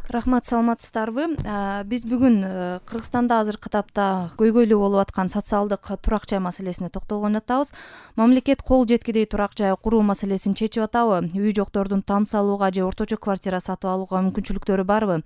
Рахмат, саламатсыздарбы? Биз бүгүн Кыргызстанда азыркы тапта көйгөйлүү болуп аткан социалдык турак жай маселесине токтолгон атабыз. Мамлекет кол жеткидей турак жай куруу маселесин чечип атабы? Үй жоктордун там салууга же орточо квартира сатып алууга мүмкүнчүлүктөрү барбы?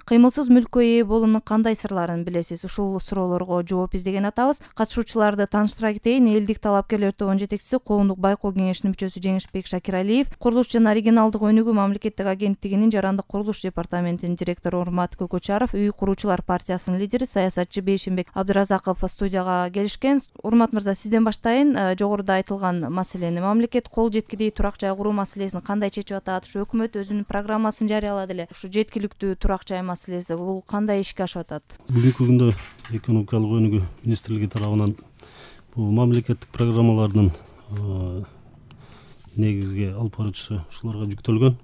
Кыймылсыз мүлккө ээ болуунун кандай сырларын билесиз? Ушул суроолорго жооп издеген атабыз. Катышуучуларды тааныштыра кетейин. Элдик талапкерлер тобунун жетекчиси, Коомдук байкоо кеңешинин мүчөсү Жеңишбек Шакиралиев, Курулуш жана оригиналдык өнүгүү мамлекеттик агенттигинин жарандык курулуш департаментинин директору Урмат Көкөчаров, Үй куруучулар партиясынын лидери, саясатчы Бейшенбек Абдыразаков студияга келишкен. Урмат мырза, сизден баштайын. Жогоруда айтылган маселени, мамлекет кол жеткидей турак жай куруу маселесин кандай чечип атат? Ушу өкмөт өзүнүн программасын жарыялады эле. Ушу жеткиликтүү турак жай маселеси бул кандай ишке ашып атат? Бүгүнкү күндө экономикалык өнүгүү министрлиги тарабынан бул мамлекеттик программалардын негизги алып баруучусу ушуларга жүктөлгөн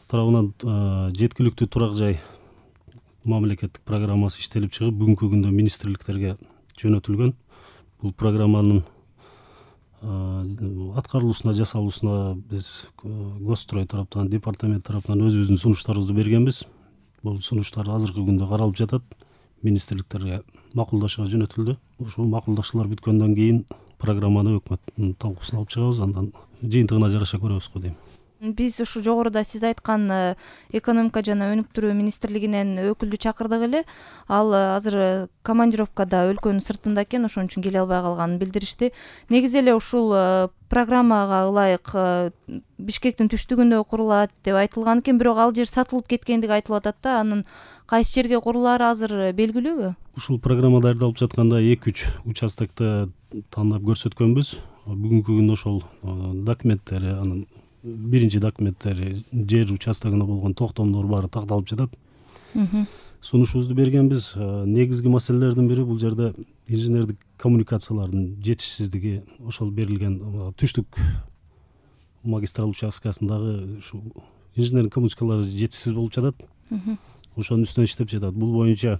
тарабынан жеткиликтүү турак жай мамлекеттик программасы иштелип чыгып, бүгүнкү күндө министрликтерге жөнөтүлгөн. Бул программанын аткарылуусуна, жасалуусуна биз Госстрой тараптан, департамент тараптан өзүбүздүн сунуштарыбызды бергенбиз. Бул сунуштар азыркы күндө каралып жатат. Министрликтерге макулдашууга жөнөтүлдү. Ушул макулдашуулар бүткөндөн кийин программаны өкмөттүн талкуусуна алып чыгабыз, андан жыйынтыгына жараша көрөбүз го дейм. Биз ушу жогоруда сиз айткан экономика жана өнүктүрүү министрлигинен өкүлдү чакырдык эле. Ал азыр командировкада өлкөнүн сыртында экен, ошон үчүн келе албай калганын билдиришти. Негизи эле ушул программага ылайык Бишкектин түштүгүндө курулат деп айтылган экен, бирок ал жер сатылып кеткендиги айтылып атат да. Анын кайсы жерге курулаары азыр белгилүүбү? Ушул программа даярдалып жатканда 2-3 участокто тандап көрсөткөнбүз. Бүгүнкү күндө ошол документтери, анын биринчи документтери, жер участогуна болгон токтомдор баары такталып жатат. Сунушубузду бергенбиз. Негизги маселелердин бири бул жерде инженердик коммуникациялардын жетишсиздиги. Ошол берилген түштүк магистраль участкасындагы ушу инженердик коммуникациялар жетишсиз болуп жатат. Ошонун үстүнөн иштеп жатат. Бул боюнча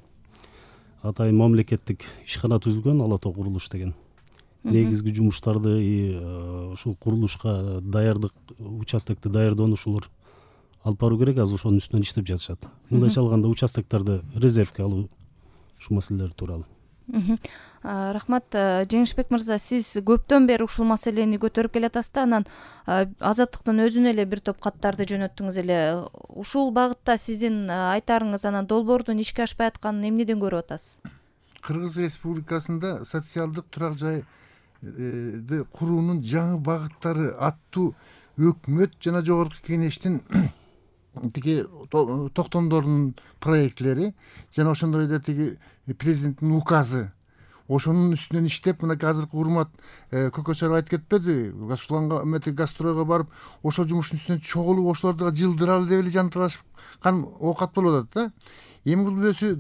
атайын мамлекеттик ишкана түзүлгөн, Ала Тоо курулуш деген. Негизги жумуштарды ушул курулушка даярдык, участокты даярдоону ушулар алып баруу керек. Азыр ошонун үстүнөн иштеп жатышат. Мындайча алганда участокторду резервке алуу, ушул маселелер тууралуу. Рахмат. Жеңишбек мырза, сиз көптөн бери ушул маселени көтөрүп келатасыз да, анан Азаттыктын өзүнө эле бир топ каттарды жөнөттүңүз эле. Ушул багытта сиздин айтарыңыз, анан долбоордун ишке ашпай атканын эмнеден көрүп атасыз? Кыргыз Республикасында социалдык турак жай куруунун жаңы багыттары аттуу өкмөт жана жогорку кеңештин тиги токтомдорунун проектлери жана ошондой эле тиги президенттин указы, ошонун үстүнөн иштеп, мынакей азыркы Урмат Көкөчаров айтып кетпеди? Гастройго барып, ошол жумуштун үстүнөн чогулуп, ошолорду жылдыралы деп эле жантырашкан оокат болуп атат да. Эми бул өзү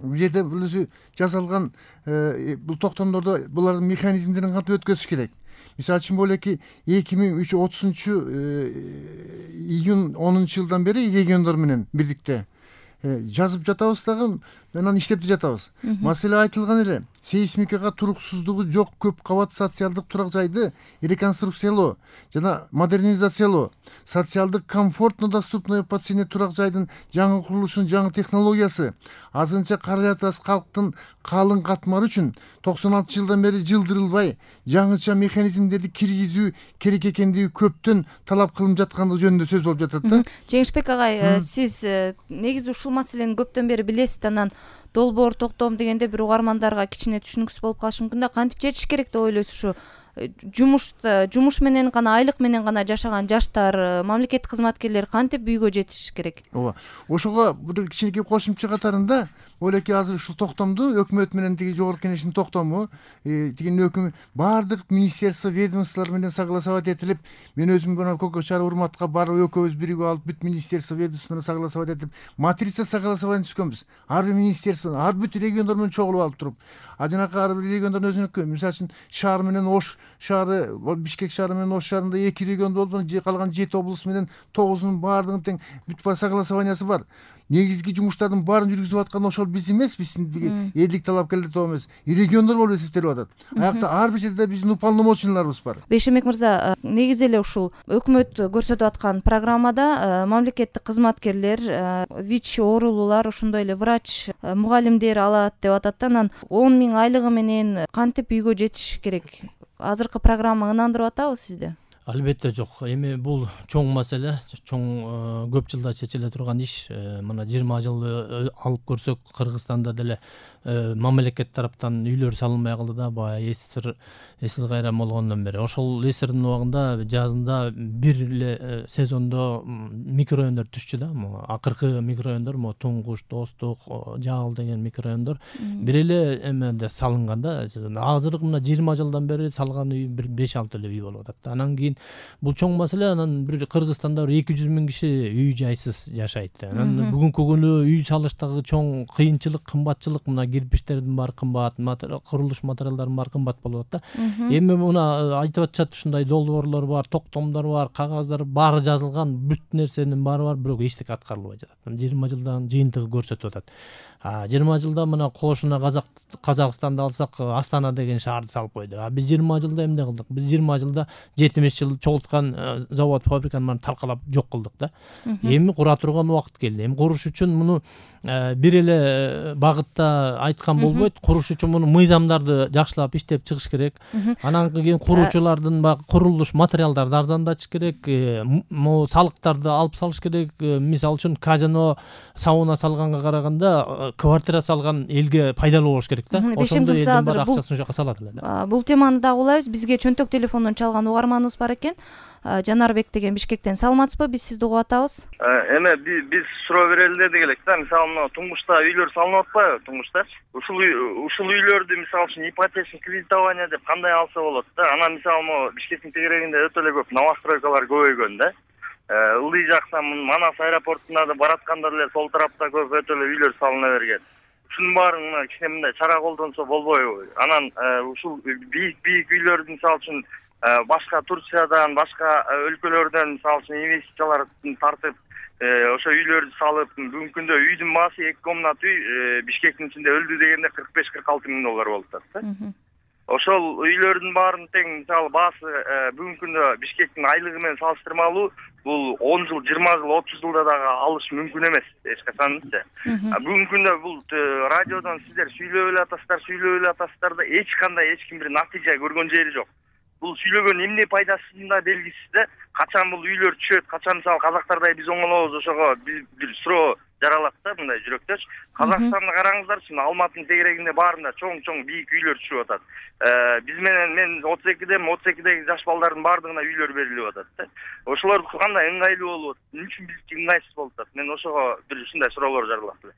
бул жерде бул өзү жасалган бул токтомдордо булардын механизмдерин кантип өткөзүш керек? Мисалы үчүн бул эки 2030 июнь 10-жылдан бери региондор менен бирдикте жазып жатабыз дагы, анан иштеп жатабыз. Маселе айтылган эле. Сейсмикага туруксуздугу жок көп кабат социалдык турак жайды реконструкциялоо жана модернизациялоо, социалдык комфортно доступный по цене турак жайдын жаңы курулушунун жаңы технологиясы азырынча каражат аз калктын калың катмары үчүн 96 жылдан бери жылдырылбай жаңыча механизмдерди киргизүү керек экендиги көптөн талап кылынып жаткандыгы жөнүндө сөз болуп жатат да. Жеңишбек агай, сиз негизи ушул маселени көптөн бери билесиз, анан долбоор токтом дегенде бир угармандарга кичине түшүнүксүз болуп калышы мүмкүн да. Кантип чечиш керек деп ойлойсуз? Ушу жумуш менен гана, айлык менен гана жашаган жаштар, мамлекеттик кызматкерлер кантип үйгө жетишиш керек? Ооба. Ошого бир кичинекей кошумча катарында ойлойки азыр ушул токтомду өкмөт менен тиги жогорку кеңештин токтому, тигинин өкүмү баардык министерство, ведомстволор менен согласовать этилип, мен өзүм мына Көкөчаров Урматка барып экөөбүз биригип алып, бүт министерство, ведомство менен согласовать этип, матрица согласование түзгөнбүз. Ар бир министерство, ар бүт региондор менен чогулуп алып туруп, жанакы ар бир региондордун өзүнүкү, мисалы үчүн шаар менен Ош шаары, Бишкек шаары менен Ош шаарында 2 регион болду, калган 7 облус менен 9-унун баардыгынын тең бүт бар согласованиясы бар. Негизги жумуштардын баарын жүргүзүп аткан ошол биз эмес, биздин элдик талапкерлер тобу эмес, региондор болуп эсептелип атат. Аякта ар бир жерде биздин уполномоченныйларыбыз бар. Бейшенбек мырза, негизи эле ушул өкмөт көрсөтүп аткан программада мамлекеттик кызматкерлер, ВИЧ оорулуулар, ошондой эле врач, мугалимдер алат деп атат да, анан 10 000 айлыгы менен кантип үйгө жетиш керек? Азыркы программа ынандырып атабы сизди? Албетте жок. Эми бул чоң маселе, чоң көп жылда чечиле турган иш. Мына 20 жылды алып көрсөк, Кыргызстанда деле мамлекет тараптан үйлөр салынбай калды да, баягы эсил кайран болгондон бери. Ошол эсирдин убагында жазында бир эле сезондо микрорайондор түшчү да. Акыркы микрорайондор Туңгуш, Достук, Жагыл деген микрорайондор бир эле эмеде салынган да. Азыркы мына 20 жылдан бери салган үй бир 5-6 эле үй болуп атат. Анан кийин бул чоң маселе. Анан бир Кыргызстанда 200 000 киши үй жайсыз жашайт. Анан бүгүнкү күнү үй салыштагы чоң кыйынчылык, кымбатчылык, мына кирпичтердин баары кымбат, курулуш материалдардын баары кымбат болуп атат да. Эми мына айтып атышат, ушундай долбоорлор бар, токтомдор бар, кагаздар баары жазылган, бүт нерсенин баары бар, бирок эчтеке аткарылбай жатат. 20 жылдан жыйынтыгы көрсөтүп атат. 20 жылда мына кошуна Казакстанды алсак, Астана деген шаарды салып койду. Биз 20 жылда эмне кылдык? Биз 20 жылда 70 жыл чогулткан завод, фабриканы баарын таркалап жок кылдык да. Эми кура турган убакыт келди. Эми куруш үчүн муну бир эле багытта айткан болбойт. Куруш үчүн муну мыйзамдарды жакшылап иштеп чыгыш керек. Анан кийин куруучулардын курулуш материалдарды арзандатыш керек. Салыктарды алып салыш керек. Мисалы үчүн казино, сауна салганга караганда квартира салган элге пайдалуу болуш керек да. Ошондо элдин баары акчасын ошоко салат эле да. Бул теманы дагы улайбыз. Бизге чөнтөк телефондон чалган угарманыбыз бар экен. Жанарбек деген Бишкектен. Саламатсызбы? Биз сизди угуп атабыз. Эме биз суроо берели дедик элек да. Мисалы мына Туңгушта үйлөр салынып атпайбы? Туңгушта ушул үйлөрдү мисалы үчүн ипотечный кредитование деп кандай алса болот да. Анан мисалы могу Бишкектин тегерегинде өтө эле көп новостройкалар көбөйгөн да. Ылдый жакта Манас аэропортуна да баратканда деле сол тарапта көп өтө эле үйлөр салына берген. Ушунун баарын мына кичине мындай чара колдонсо болбойбу? Анан ушул бийик үйлөрдү мисалы үчүн башка Турциядан, башка өлкөлөрдөн мисалы үчүн инвестициялар тартып, ошо үйлөрдү салып, бүгүнкү күндө үйдүн баасы 2 комнат үй Бишкектин ичинде өлдү дегенде $45-46 000 болуп атат да. Ошол үйлөрдүн баарын тең мисалы баасы бүгүнкү күндө Бишкектин айлыгы менен салыштырмалуу бул 10 жыл, 20 жыл, 30 жылда дагы алыш мүмкүн эмес эч качанчы. Бүгүнкү күндө бул радиодон сиздер сүйлөп эле атасыздар да эч ким бир натыйжа көргөн жери жок. Бул сүйлөгөн эмне пайдасы да белгисиз да. Качан бул үйлөр түшөт, качан мисалы казактардай биз оңолобуз, ошого бир суроо жаралат да мындай жүрөктөч. Казакстанды караңыздарчы, Алматынын тегерегинде баарында чоң бийик үйлөр түшүп атат. Биз менен мен 32-деги жаш балдардын баардыгына үйлөр берилип атат да. Ошолор кандай ыңгайлуу болуп атат, эмне үчүн биздики ыңгайсыз болуп атат? Мен ошого бир ушундай суроолор жаралат эле.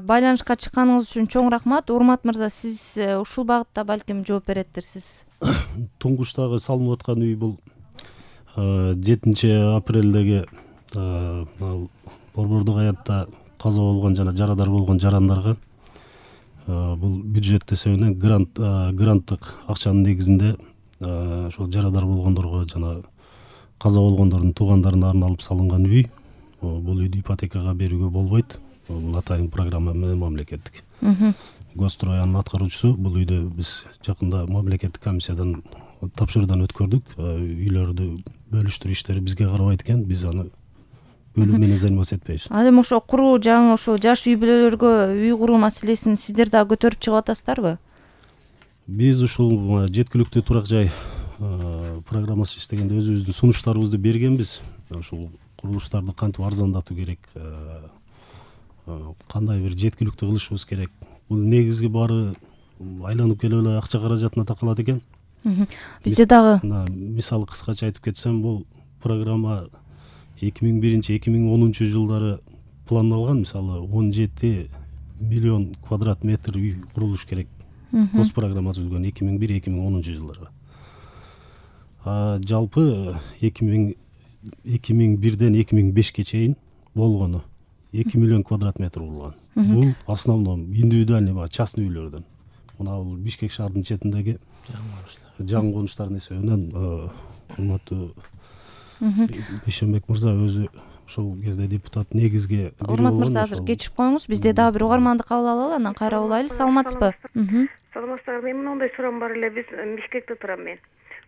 Байланышка чыкканыңыз үчүн чоң рахмат. Урмат мырза, сиз ушул багытта балким жооп береттирсиз. Туңгуштагы салынып аткан үй бул 7 апрелдеги борбордук аятта каза болгон жана жарадар болгон жарандарга бул бюджет эсебинен гранттык акчанын негизинде ошол жарадар болгондорго жана каза болгондордун туугандарына арналып салынган үй. Бул үйдү ипотекага берүүгө болбойт. Бул атайын программа менен мамлекеттик. Гострой анын аткаруучусу. Бул үйдү биз жакында мамлекеттик комиссиядан тапшыруудан өткөрдүк. Үйлөрдү бөлүштүрүү иштери бизге карабайт экен. Биз аны бөлүү менен заниматься этпейбиз. Ал эми ошо куруу, жаңы ошо жаш үй бүлөлөргө үй куруу маселесин сиздер дагы көтөрүп чыгып атасыздарбы? Биз ушул жеткиликтүү турак жай программасы иштегенде өзүбүздүн сунуштарыбызды бергенбиз. Ушул курулуштарды кантип арзандатуу керек, кандай бир жеткиликтүү кылышыбыз керек. Бул негизги баары айланып келип эле акча каражатына такалат экен. Бизде дагы мисалы кыскача айтып кетсем, бул программа 2001-2010 жылдары пландалган. Мисалы 17 миллион квадрат метр үй курулуш керек. Гос программа түзүлгөн 2001-2010 жылдарга. Жалпы 2001-ден 2005-ке чейин болгону 2 миллион квадрат метр болгон. Бул основном индивидуальный частный үйлөрдөн. Мына бул Бишкек шаарынын четиндеги жаңы конуштардын эсебинен урматтуу Бейшенбек мырза өзү ошол кезде депутат негизге урмат мырза, азыр кечирип коюңуз, бизде дагы бир угарманды кабыл алалы, анан кайра улайлы. Саламатсызбы? Саламатсыздар. Мен мындай сурам бар эле. Биз Бишкекте турам мен.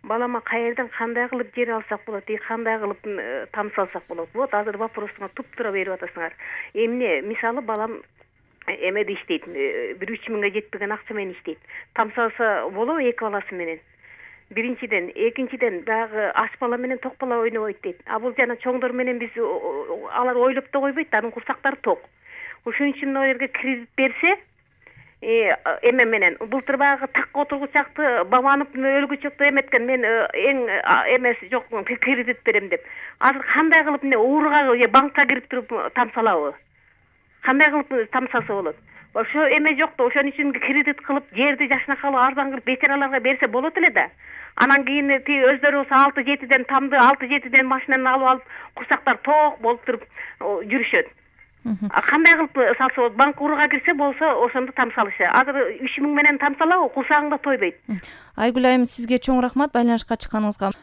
Балама каерден кандай кылып жер алсак болот, кандай кылып тамсалсак болот? Вот азыр вопросуңа туп-туура берип атасыңар. Эмне, мисалы балам эмеде иштейт, 1-3 миңге жетпеген акча менен иштейт. Тамсалса болобу эки баласы менен? Биринчиден, экинчиден дагы аш бала менен ток бала ойнобойт дейт. А бул жана чоңдор менен биз алар ойлоп да койбойт, анын курсактары ток. Ошон үчүн мына жерге кредит берсе, эме менен былтыр баягы такка отургучакты бабанып өлгүчөктү эметкен, мен эң эмеси жок кредит берем деп. Азыр кандай кылып эмне ууруга же банкка кирип туруп тамсалабы? Кандай кылып тамсалса болот? Ошо эме жок да, ошон үчүн кредит кылып жерди жашнакалы арзан кылып бечараларга берсе болот эле да. Анан кийин өздөрү болсо 6-7ден тамды, 6-7ден машинаны алып алып, курсактар ток болуп туруп жүрүшөт. Кандай кылып салса болот? Банк уруга кирсе болсо ошондо тамсалышы. Азыр 3 миң менен тамсалабы, курсагыңда тойбойт. Айгүл айым, сизге чоң рахмат байланышка чыкканыңызга.